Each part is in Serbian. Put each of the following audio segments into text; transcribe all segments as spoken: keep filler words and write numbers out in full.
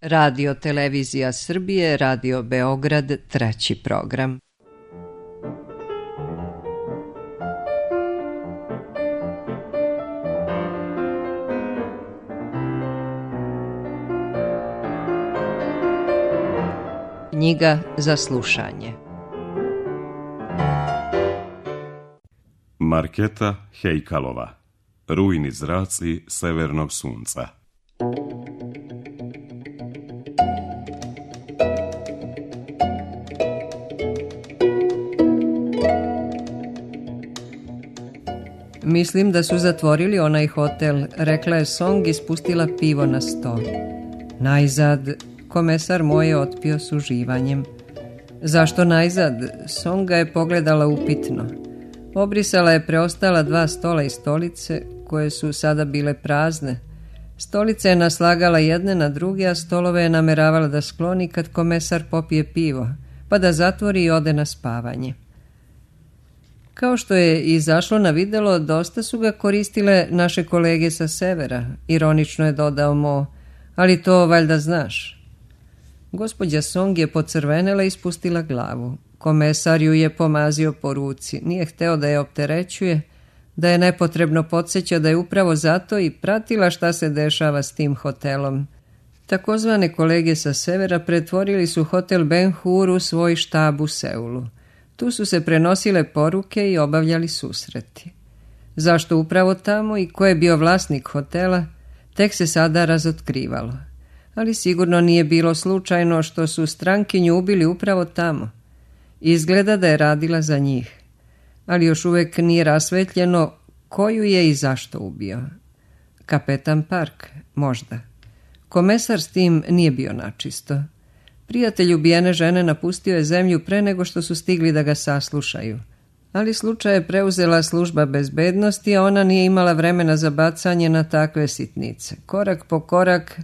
Radio Televizija Srbije, Radio Beograd, treći program. Knjiga za slušanje. Marketa Hejkalova. Rujni zraci severnog sunca. Mislim da su zatvorili onaj hotel, rekla je Song i spustila pivo na sto. Najzad, komesar moj je otpio s uživanjem. Zašto najzad? Song ga je pogledala upitno. Obrisala je preostala dva stola i stolice, koje su sada bile prazne. Stolice je naslagala jedne na druge, a stolove je nameravala da skloni kad komesar popije pivo, pa da zatvori i ode na spavanje. Kao što je izašlo na videlo, dosta su ga koristile naše kolege sa severa, ironično je dodao Mo, ali to valjda znaš. Gospođa Song je pocrvenela i spustila glavu. Komesar ju je pomazio po ruci, nije hteo da je opterećuje, da je nepotrebno podsjeća da je upravo zato i pratila šta se dešava s tim hotelom. Takozvane kolege sa severa pretvorili su hotel Ben Hur u svoj štab u Seulu. Tu su se prenosile poruke i obavljali susreti. Zašto upravo tamo i ko je bio vlasnik hotela, tek se sada razotkrivalo. Ali sigurno nije bilo slučajno što su strankinju ubili upravo tamo. Izgleda da je radila za njih. Ali još uvijek nije rasvetljeno koju je i zašto ubio. Kapetan Park, možda. Komesar s tim nije bio načisto. Prijatelj ubijene žene napustio je zemlju pre nego što su stigli da ga saslušaju. Ali slučaj je preuzela služba bezbednosti, a ona nije imala vremena za bacanje na takve sitnice. Korak po korak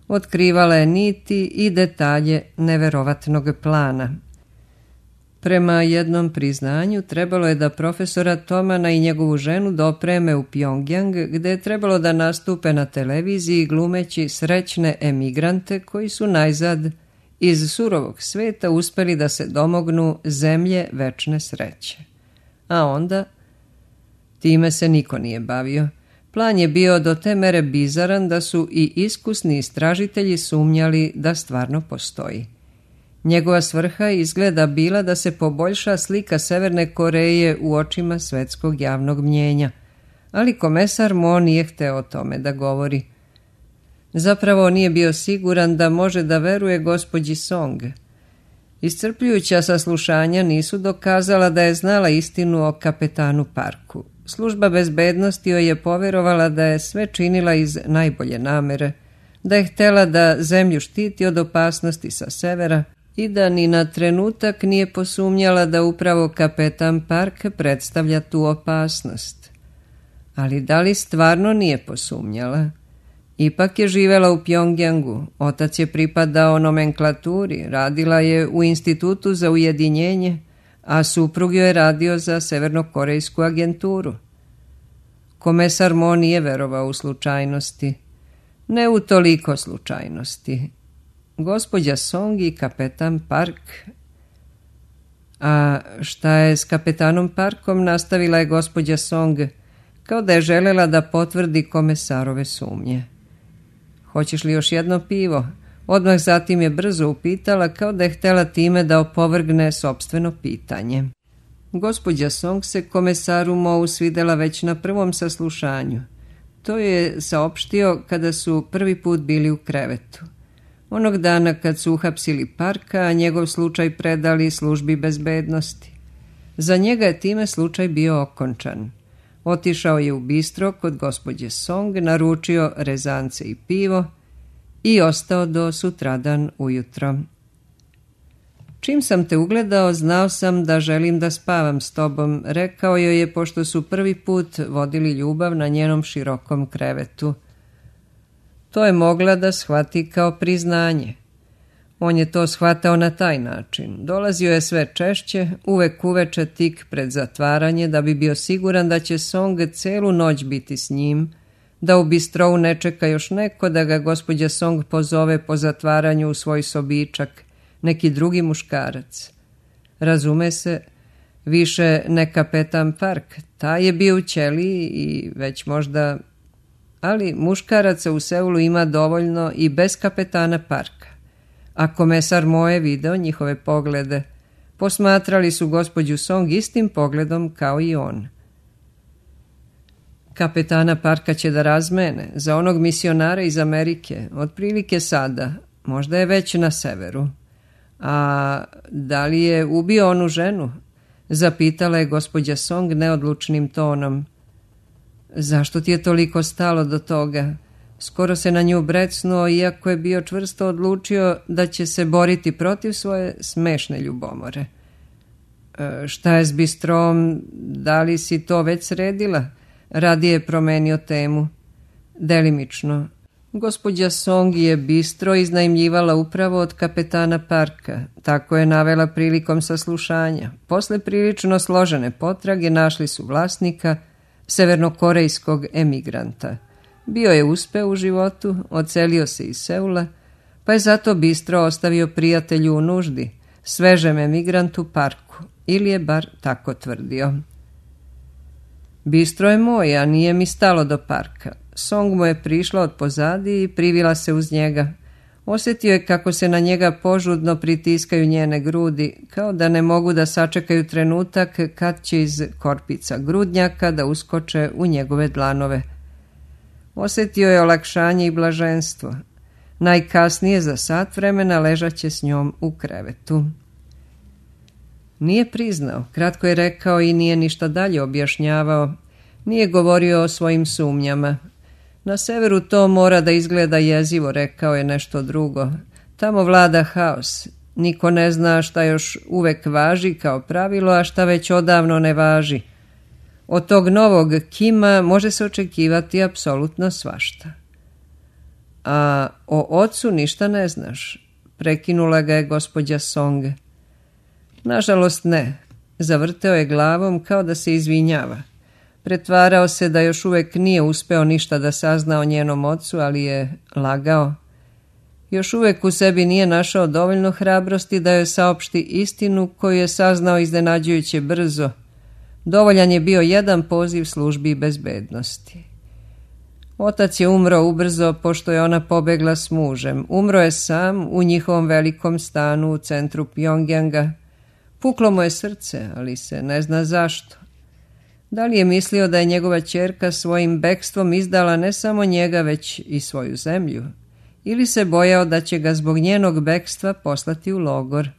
otkrivala je niti i detalje neverovatnog plana. Prema jednom priznanju trebalo je da profesora Tomana i njegovu ženu dopreme u Pjongjang, gde je trebalo da nastupe na televiziji glumeći srećne emigrante koji su najzad iz surovog sveta uspeli da se domognu zemlje večne sreće. A onda, time se niko nije bavio. Plan je bio do te mere bizaran da su i iskusni istražitelji sumnjali da stvarno postoji. Njegova svrha izgleda bila da se poboljša slika Severne Koreje u očima svetskog javnog mnjenja, ali komesar Mo nije hteo o tome da govori. Zapravo nije bio siguran da može da veruje gospođi Song. Iscrpljujuća saslušanja nisu dokazala da je znala istinu o kapetanu Parku. Služba bezbednosti joj je poverovala da je sve činila iz najbolje namere, da je htela da zemlju štiti od opasnosti sa severa i da ni na trenutak nije posumnjala da upravo kapetan Park predstavlja tu opasnost. Ali da li stvarno nije posumnjala? Ipak je živela u Pjongjangu, otac je pripadao nomenklaturi, radila je u Institutu za ujedinjenje, a suprug joj je radio za severnokorejsku agenturu. Komesar Mo nije verovao u slučajnosti. Ne u toliko slučajnosti. Gospođa Song i kapetan Park. A šta je s kapetanom Parkom, nastavila je gospođa Song, kao da je želela da potvrdi komesarove sumnje. Hoćeš li još jedno pivo? Odmah zatim je brzo upitala, kao da je htjela time da opovrgne sopstveno pitanje. Gospođa Song se komesaru Mou svidela već na prvom saslušanju. To je saopštio kada su prvi put bili u krevetu. Onog dana kad su uhapsili Parka, a njegov slučaj predali službi bezbednosti. Za njega je time slučaj bio okončan. Otišao je u bistro kod gospođe Song, naručio rezance i pivo i ostao do sutradan ujutro. Čim sam te ugledao, znao sam da želim da spavam s tobom, rekao joj je pošto su prvi put vodili ljubav na njenom širokom krevetu. To je mogla da shvati kao priznanje. On je to shvatao na taj način. Dolazio je sve češće, uvek uveče tik pred zatvaranje, da bi bio siguran da će Song celu noć biti s njim, da u bistrou ne čeka još neko da ga gospođa Song pozove po zatvaranju u svoj sobičak, neki drugi muškarac. Razume se, više ne kapetan Park, taj je bio u ćeliji i već možda... Ali muškaraca u Seulu ima dovoljno i bez kapetana Parka. A komesar Moe video njihove poglede. Posmatrali su gospođu Song istim pogledom kao i on. Kapetana Parka će da razmene za onog misionara iz Amerike, otprilike sada, možda je već na severu. A da li je ubio onu ženu? Zapitala je gospođa Song neodlučnim tonom. Zašto ti je toliko stalo do toga? Skoro se na nju brecnuo, iako je bio čvrsto odlučio da će se boriti protiv svoje smešne ljubomore. E, šta je s bistrom? Da li si to već sredila? Radije je promenio temu. Delimično. Gospođa Song je bistro iznajmljivala upravo od kapetana Parka. Tako je navela prilikom saslušanja. Posle prilično složene potrage našli su vlasnika, severnokorejskog emigranta. Bio je uspeo u životu, odselio se iz Seula, pa je zato bistro ostavio prijatelju u nuždi, svežem emigrantu Parku, ili je bar tako tvrdio. Bistro je moj, a nije mi stalo do Parka. Song mu je prišla od pozadi i privila se uz njega. Osjetio je kako se na njega požudno pritiskaju njene grudi, kao da ne mogu da sačekaju trenutak kad će iz korpica grudnjaka da uskoče u njegove dlanove. Osjetio je olakšanje i blaženstvo. Najkasnije za sat vremena ležaće s njom u krevetu. Nije priznao, kratko je rekao i nije ništa dalje objašnjavao. Nije govorio o svojim sumnjama. Na severu to mora da izgleda jezivo, rekao je nešto drugo. Tamo vlada haos. Niko ne zna šta još uvek važi kao pravilo, a šta već odavno ne važi. Od tog novog Kima može se očekivati apsolutno svašta. A o ocu ništa ne znaš, prekinula ga je gospođa Song. Nažalost ne, zavrteo je glavom kao da se izvinjava. Pretvarao se da još uvek nije uspeo ništa da sazna o njenom ocu, ali je lagao. Još uvek u sebi nije našao dovoljno hrabrosti da joj saopšti istinu koju je saznao iznenađujuće brzo. Dovoljan je bio jedan poziv službi bezbednosti. Otac je umro ubrzo pošto je ona pobegla s mužem. Umro je sam u njihovom velikom stanu u centru Pjongjanga. Puklo mu je srce, ali se ne zna zašto. Da li je mislio da je njegova ćerka svojim bekstvom izdala ne samo njega, već i svoju zemlju? Ili se bojao da će ga zbog njenog bekstva poslati u logor?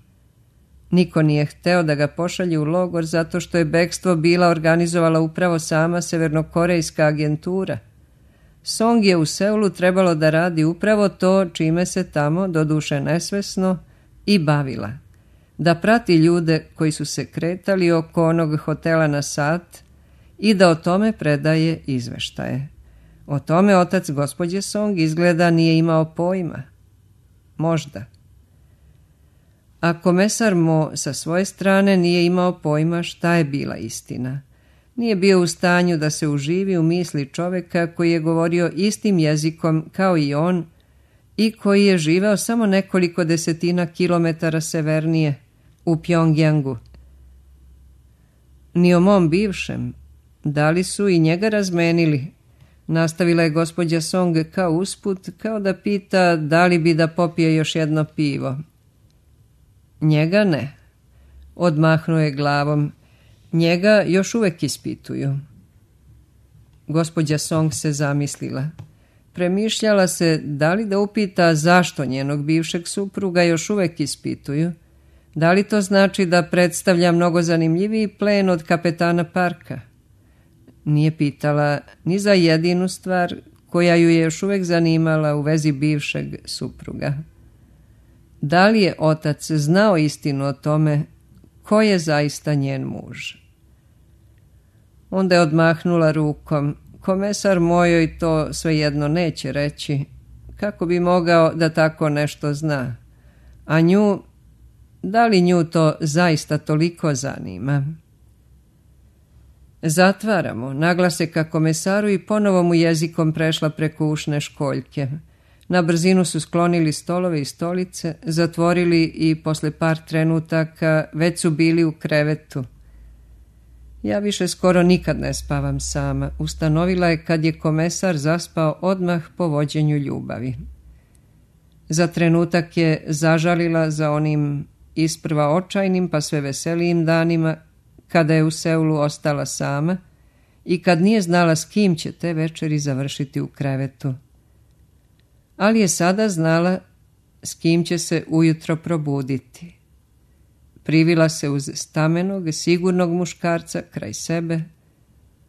Niko nije hteo da ga pošalje u logor zato što je bekstvo bila organizovala upravo sama severnokorejska agentura. Song je u Seulu trebalo da radi upravo to čime se tamo, doduše nesvesno, i bavila. Da prati ljude koji su se kretali oko onog hotela na sat i da o tome predaje izveštaje. O tome otac gospođe Song izgleda nije imao pojma. Možda. A komesar Mo sa svoje strane nije imao pojma šta je bila istina. Nije bio u stanju da se uživi u misli čoveka koji je govorio istim jezikom kao i on i koji je živeo samo nekoliko desetina kilometara severnije, u Pjongjangu. Ni o mom bivšem. Da li su i njega razmenili? Nastavila je gospođa Song kao usput, kao da pita da li bi da popije još jedno pivo. Njega ne. Odmahnuo je glavom. Njega još uvek ispituju. Gospođa Song se zamislila. Premišljala se da li da upita zašto njenog bivšeg supruga još uvek ispituju. Da li to znači da predstavlja mnogo zanimljiviji plen od kapetana Parka? Nije pitala ni za jedinu stvar koja ju je još uvek zanimala u vezi bivšeg supruga. Da li je otac znao istinu o tome ko je zaista njen muž? Onda je odmahnula rukom. Komesar mojoj to svejedno neće reći. Kako bi mogao da tako nešto zna? A nju, da li nju to zaista toliko zanima? Zatvaramo, naglase ka komesaru i ponovo mu jezikom prešla preko ušne školjke. Na brzinu su sklonili stolove i stolice, zatvorili i posle par trenutaka već su bili u krevetu. Ja više skoro nikad ne spavam sama, ustanovila je kad je komesar zaspao odmah po vođenju ljubavi. Za trenutak je zažalila za onim isprva očajnim pa sve veselijim danima, kada je u Seulu ostala sama i kad nije znala s kim će te večeri završiti u krevetu. Ali je sada znala s kim će se ujutro probuditi. Privila se uz stamenog, sigurnog muškarca kraj sebe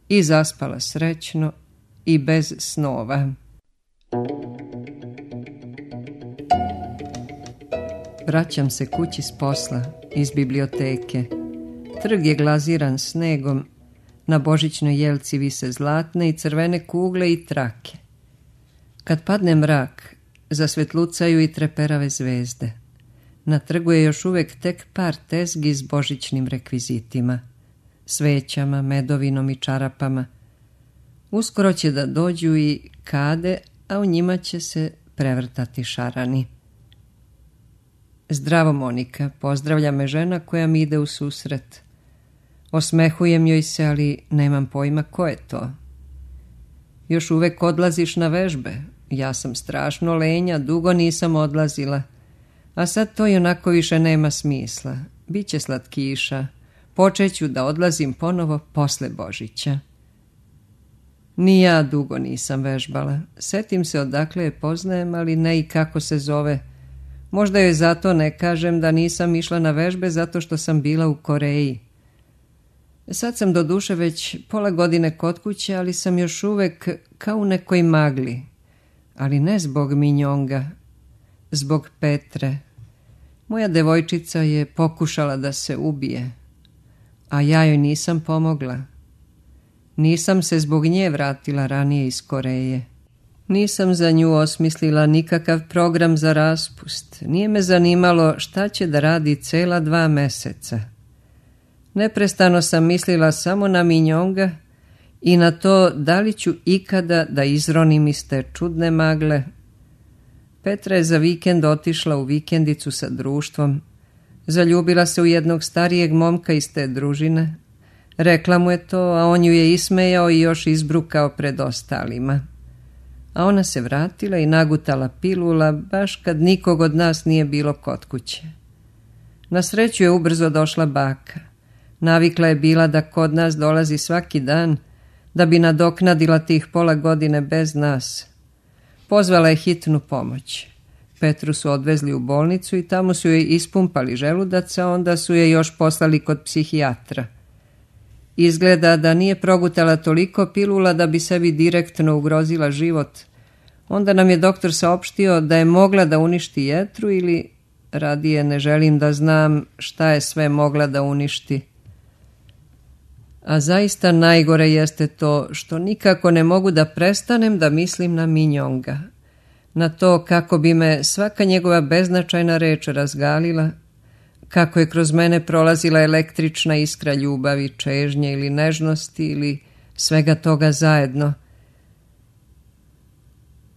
i zaspala srećno i bez snova. Vraćam se kući s posla, iz biblioteke. Trg je glaziran snegom, na božićnoj jelci vise zlatne i crvene kugle i trake. Kad padne mrak, zasvetlucaju i treperave zvezde. Na trgu je još uvek tek par tezgi s božićnim rekvizitima, svećama, medovinom i čarapama. Uskoro će da dođu i kade, a u njima će se prevrtati šarani. Zdravo, Monika, pozdravlja me žena koja mi ide u susret. Osmehujem joj se, ali nemam pojma ko je to. Još uvek odlaziš na vežbe. Ja sam strašno lenja, dugo nisam odlazila. A sad to i onako više nema smisla. Biće slatkiša. Počeću da odlazim ponovo posle Božića. Ni ja dugo nisam vežbala. Setim se odakle je poznajem, ali ne i kako se zove. Možda joj zato ne kažem da nisam išla na vežbe zato što sam bila u Koreji. Sad sam do duše već pola godine kod kuće, ali sam još uvek kao u nekoj magli. Ali ne zbog Minjonga, zbog Petre. Moja devojčica je pokušala da se ubije, a ja joj nisam pomogla. Nisam se zbog nje vratila ranije iz Koreje. Nisam za nju osmislila nikakav program za raspust. Nije me zanimalo šta će da radi cela dva meseca. Neprestano sam mislila samo na Minjonga i na to da li ću ikada da izronim iz te čudne magle. Petra je za vikend otišla u vikendicu sa društvom. Zaljubila se u jednog starijeg momka iz te družine. Rekla mu je to, a on ju je ismejao i još izbrukao pred ostalima. A ona se vratila i nagutala pilula baš kad nikog od nas nije bilo kod kuće. Na sreću je ubrzo došla baka. Navikla je bila da kod nas dolazi svaki dan, da bi nadoknadila tih pola godine bez nas. Pozvala je hitnu pomoć. Petru su odvezli u bolnicu i tamo su joj ispumpali želudac, a onda su je još poslali kod psihijatra. Izgleda da nije progutala toliko pilula da bi sebi direktno ugrozila život. Onda nam je doktor saopštio da je mogla da uništi jetru ili, radije ne želim da znam šta je sve mogla da uništi. A zaista najgore jeste to što nikako ne mogu da prestanem da mislim na Minjonga. Na to kako bi me svaka njegova beznačajna reč razgalila, kako je kroz mene prolazila električna iskra ljubavi, čežnje ili nežnosti ili svega toga zajedno.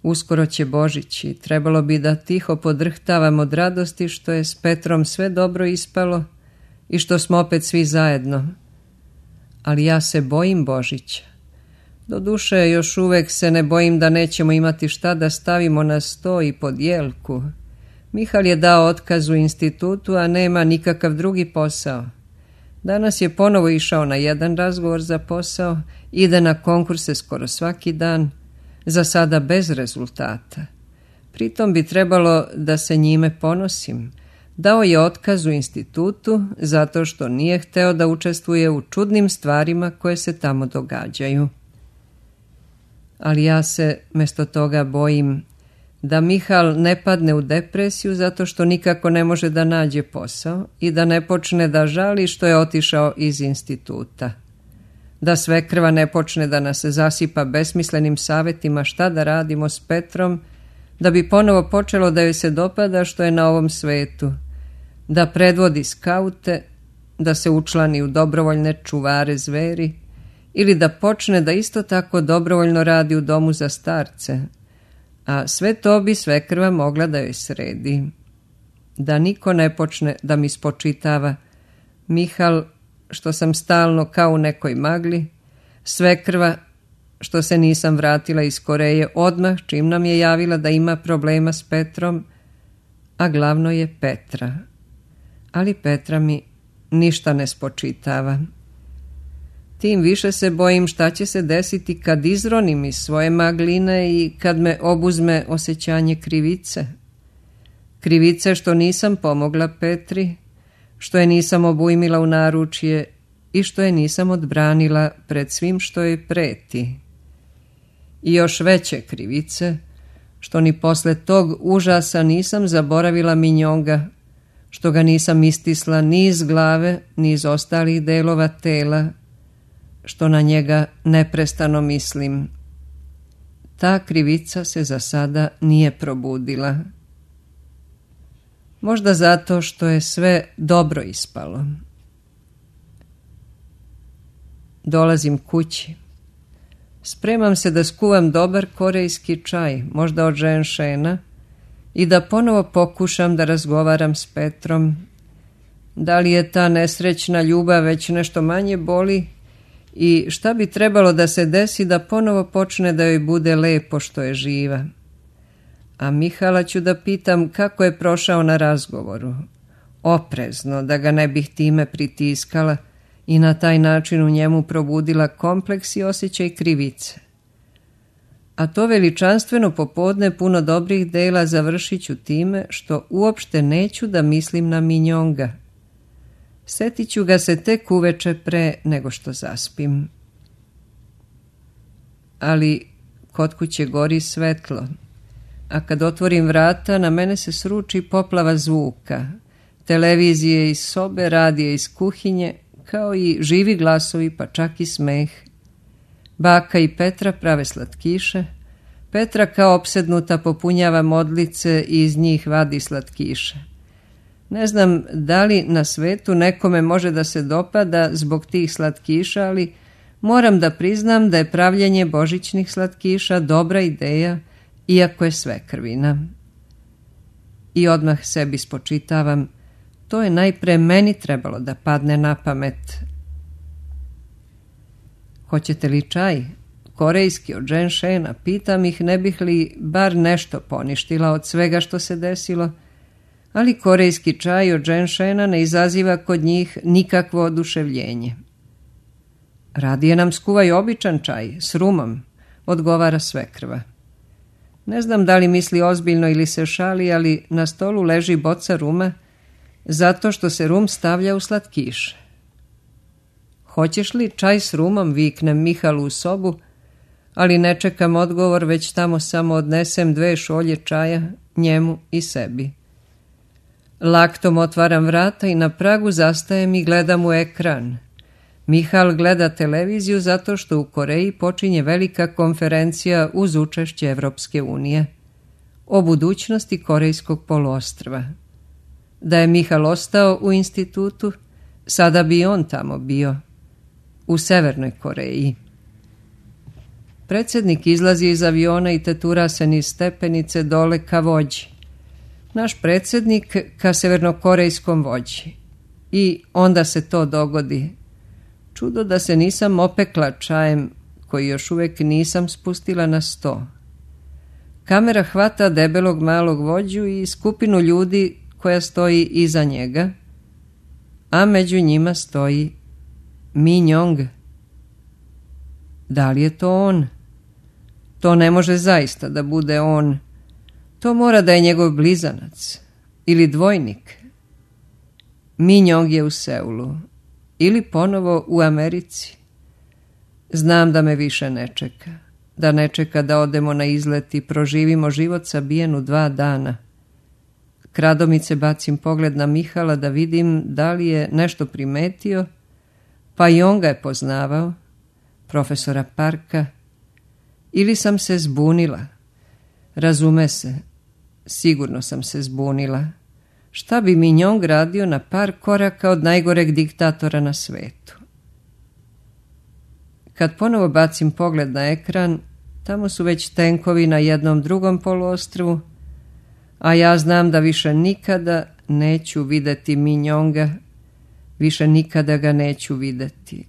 Uskoro će Božić i trebalo bi da tiho podrhtavam od radosti što je s Petrom sve dobro ispalo i što smo opet svi zajedno. Ali ja se bojim Božića. Doduše, još uvek se ne bojim da nećemo imati šta da stavimo na sto i pod jelku. Mihal je dao otkaz u institutu, a nema nikakav drugi posao. Danas je ponovo išao na jedan razgovor za posao, ide na konkurse skoro svaki dan, za sada bez rezultata. Pritom bi trebalo da se njime ponosim. Dao je otkaz u institutu zato što nije hteo da učestvuje u čudnim stvarima koje se tamo događaju. Ali ja se mesto toga bojim da Mihal ne padne u depresiju zato što nikako ne može da nađe posao i da ne počne da žali što je otišao iz instituta. Da svekrva ne počne da nas zasipa besmislenim savetima šta da radimo s Petrom, da bi ponovo počelo da joj se dopada što je na ovom svetu, da predvodi skaute, da se učlani u dobrovoljne čuvare zveri ili da počne da isto tako dobrovoljno radi u domu za starce, a sve to bi svekrva mogla da joj sredi. Da niko ne počne da mi spočitava: Mihal, što sam stalno kao u nekoj magli, svekrva, što se nisam vratila iz Koreje odmah čim nam je javila da ima problema s Petrom, a glavno je Petra. Ali Petra mi ništa ne spočitava. Tim više se bojim šta će se desiti kad izronim iz svoje magline i kad me obuzme osjećanje krivice. Krivice što nisam pomogla Petri, što je nisam obujmila u naručje i što je nisam odbranila pred svim što joj preti. I još veće krivice, što ni posle tog užasa nisam zaboravila Minjonga, što ga nisam istisla ni iz glave, ni iz ostalih delova tela, što na njega neprestano mislim. Ta krivica se za sada nije probudila. Možda zato što je sve dobro ispalo. Dolazim kući. Spremam se da skuvam dobar korejski čaj, možda od ženšena, i da ponovo pokušam da razgovaram s Petrom. Da li je ta nesrećna ljubav već nešto manje boli i šta bi trebalo da se desi da ponovo počne da joj bude lepo što je živa. A Mihala ću da pitam kako je prošao na razgovoru. Oprezno, da ga ne bih time pritiskala i na taj način u njemu probudila kompleks i osjećaj krivice. A to veličanstveno popodne puno dobrih dela završit ću time što uopšte neću da mislim na Minjonga. Setit ću ga se tek uveče pre nego što zaspim. Ali kod kuće gori svetlo, a kad otvorim vrata na mene se sruči poplava zvuka, televizije iz sobe, radije iz kuhinje, kao i živi glasovi, pa čak i smeh. Baka i Petra prave slatkiše. Petra kao opsednuta popunjava modlice i iz njih vadi slatkiše. Ne znam da li na svetu nekome može da se dopada zbog tih slatkiša, ali moram da priznam da je pravljenje božićnih slatkiša dobra ideja, iako je sve krvina. I odmah sebi spočitavam: to je najpre meni trebalo da padne na pamet. Hoćete li čaj? Korejski od ženšena, pitam ih ne bih li bar nešto poništila od svega što se desilo, ali korejski čaj od ženšena ne izaziva kod njih nikakvo oduševljenje. Radije nam skuvaj običan čaj, s rumom, odgovara svekrva. Ne znam da li misli ozbiljno ili se šali, ali na stolu leži boca ruma, zato što se rum stavlja u slatkiše. Hoćeš li čaj s rumom, viknem Mihalu u sobu, ali ne čekam odgovor, već tamo samo odnesem dve šolje čaja, njemu i sebi. Laktom otvaram vrata i na pragu zastajem i gledam u ekran. Mihal gleda televiziju zato što u Koreji počinje velika konferencija uz učešće Evropske unije o budućnosti korejskog poluostrva. Da je Mihal ostao u institutu, sada bi on tamo bio, u Severnoj Koreji. Predsjednik izlazi iz aviona i tetura se niz stepenice dole ka vođi. Naš predsjednik ka severnokorejskom vođi. I onda se to dogodi. Čudo da se nisam opekla čajem, koji još uvijek nisam spustila na sto. Kamera hvata debelog malog vođu i skupinu ljudi koja stoji iza njega, a među njima stoji Minjong. Da li je to on? To ne može zaista da bude on. To mora da je njegov blizanac ili dvojnik. Minjong je u Seulu ili ponovo u Americi. Znam da me više ne čeka, da ne čeka da odemo na izlet i proživimo život sabijen u dva dana. Kradomice bacim pogled na Mihala da vidim da li je nešto primetio, pa i on ga je poznavao, profesora Parka, ili sam se zbunila. Razume se, sigurno sam se zbunila. Šta bi Minjong radio na par koraka od najgoreg diktatora na svetu? Kad ponovo bacim pogled na ekran, tamo su već tenkovi na jednom drugom poluostrvu, a ja znam da više nikada neću videti Minjonga, više nikada ga neću videti,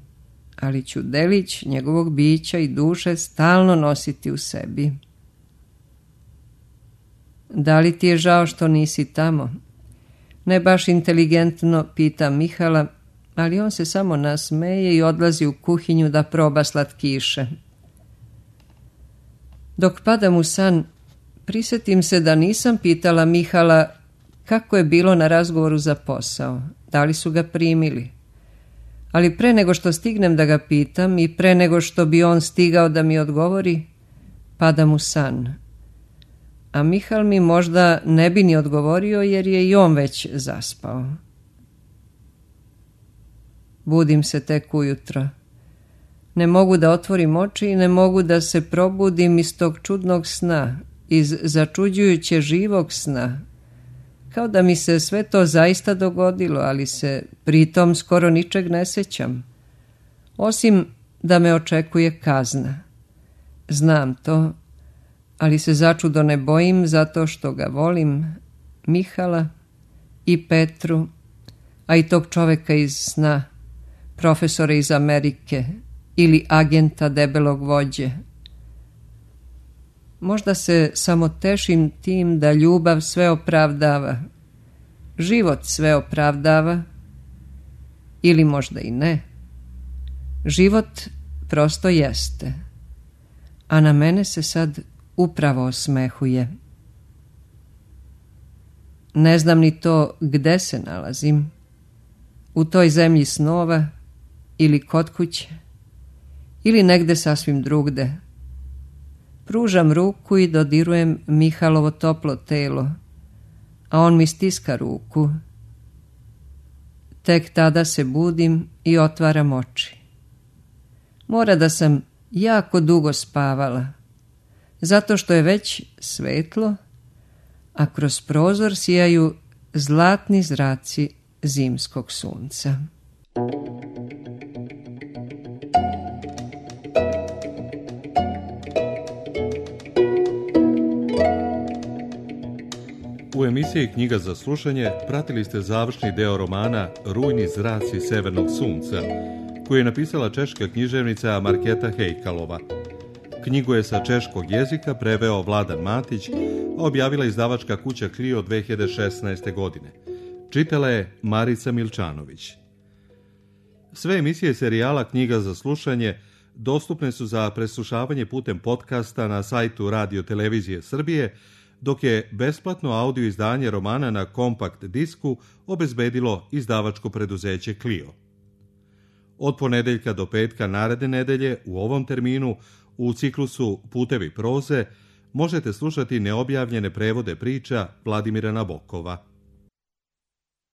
ali ću delić njegovog bića i duše stalno nositi u sebi. Da li ti je žao što nisi tamo? Ne baš inteligentno pita Mihala, ali on se samo nasmeje i odlazi u kuhinju da proba slatkiše. Dok padam u san, prisjetim se da nisam pitala Mihala kako je bilo na razgovoru za posao, da li su ga primili. Ali pre nego što stignem da ga pitam i pre nego što bi on stigao da mi odgovori, padam u san. A Mihal mi možda ne bi ni odgovorio jer je i on već zaspao. Budim se tek ujutro. Ne mogu da otvorim oči i ne mogu da se probudim iz tog čudnog sna, iz začuđujuće živog sna. Kao da mi se sve to zaista dogodilo, ali se pritom skoro ničeg ne sećam. Osim da me očekuje kazna. Znam to, ali se začudo ne bojim zato što ga volim, Mihala i Petru, a i tog čoveka iz sna, profesora iz Amerike ili agenta debelog vođe. Možda se samo tešim tim da ljubav sve opravdava, život sve opravdava, ili možda i ne. Život prosto jeste, a na mene se sad upravo osmehuje. Ne znam ni to gde se nalazim, u toj zemlji snova ili kod kuće, ili negde sasvim drugde. Pružam ruku i dodirujem Mihalovo toplo telo, a on mi stiska ruku. Tek tada se budim i otvaram oči. Mora da sam jako dugo spavala, zato što je već svetlo, a kroz prozor sijaju zlatni zraci zimskog sunca. U emisiji Knjiga za slušanje pratili ste završni deo romana Rujni zraci severnog sunca, koju je napisala češka književnica Marketa Hejkalova. Knjigu je sa češkog jezika preveo Vladan Matić, a objavila izdavačka kuća Clio dve hiljade šesnaeste. godine. Čitala je Marica Milčanović. Sve emisije serijala Knjiga za slušanje dostupne su za preslušavanje putem podcasta na sajtu Radio Televizije Srbije, dok je besplatno audio izdanje romana na kompakt disku obezbedilo izdavačko preduzeće Clio. Od ponedeljka do petka naredne nedelje u ovom terminu u ciklusu Putevi proze možete slušati neobjavljene prevode priča Vladimira Nabokova.